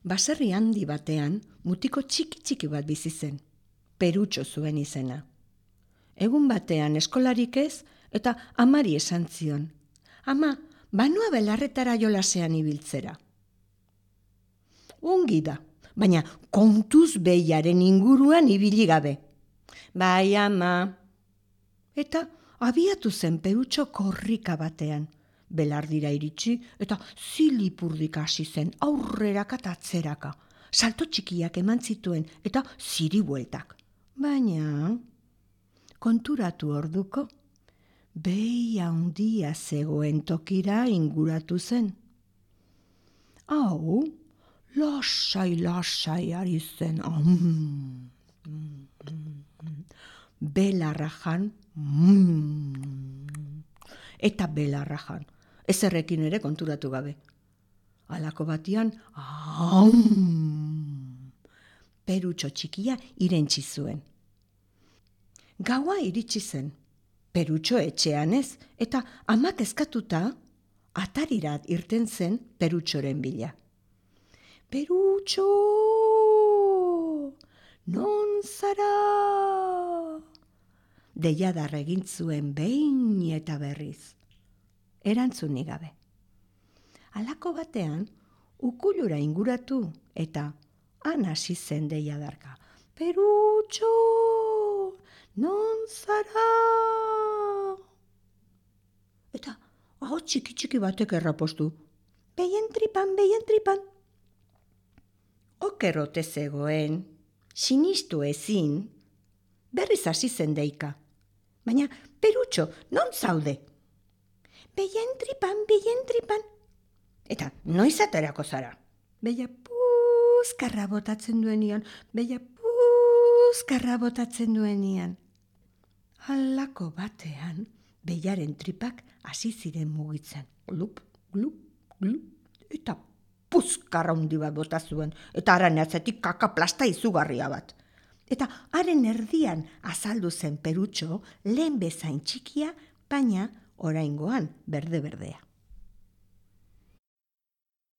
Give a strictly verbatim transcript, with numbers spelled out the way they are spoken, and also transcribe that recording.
Baserri handi batean mutiko txiki-txiki bat bizi zen. Perutxo zuen izena. Egun batean eskolarik ez eta amari esan zion. Ama, banua belarretara jolasean ibiltzera. Ongi da, baina kontuz behiaren inguruan ibili gabe. Bai, ama. Eta abiatu zen Perutxo korrika batean. Belardira iritsi eta zilipurdik hasi zen aurreraka eta atzeraka. Salto txikiak eman zituen eta ziribueltak. Baina, konturatu orduko, behi handia zegoen tokira inguratu zen. Hau, lasai-lasai ari zen. Belarra jan, eta belarra jan. Ezerrekin ere konturatu gabe. Halako batian, Perutxo txikia irentsi zuen. Gaua iritsi zen. Perutxo etxean ez, eta amak eskatuta, atarirat irten zen Perutxoren bila. Perutxo, non zara? Deiadar egin zuen behin eta berriz. Erantzunik gabe. Halako batean, ukulura inguratu eta han hasi zen deiadarka. Perutxo, non zara? Eta hau txiki-txiki batek errapostu. Behien tripan, behien tripan. Okerrote zegoen, sinistu ezin, berriz hasi zen deika. Baina, Perutxo, non zaude? Behien tripan, behien tripan. Eta noiz aterako zara? Beia puzkarra botatzen duenian, beia puzkarra botatzen duenian. Halako batean, beiaren tripak hasi ziren mugitzen. Glup, glup, glup, eta puzkarra handi bat bota zuen, eta haren atzetik kaka plasta izugarria bat. Eta haren erdian azaldu zen Perutxo lehen bezain txikia, baina oraingoan berde-berdea.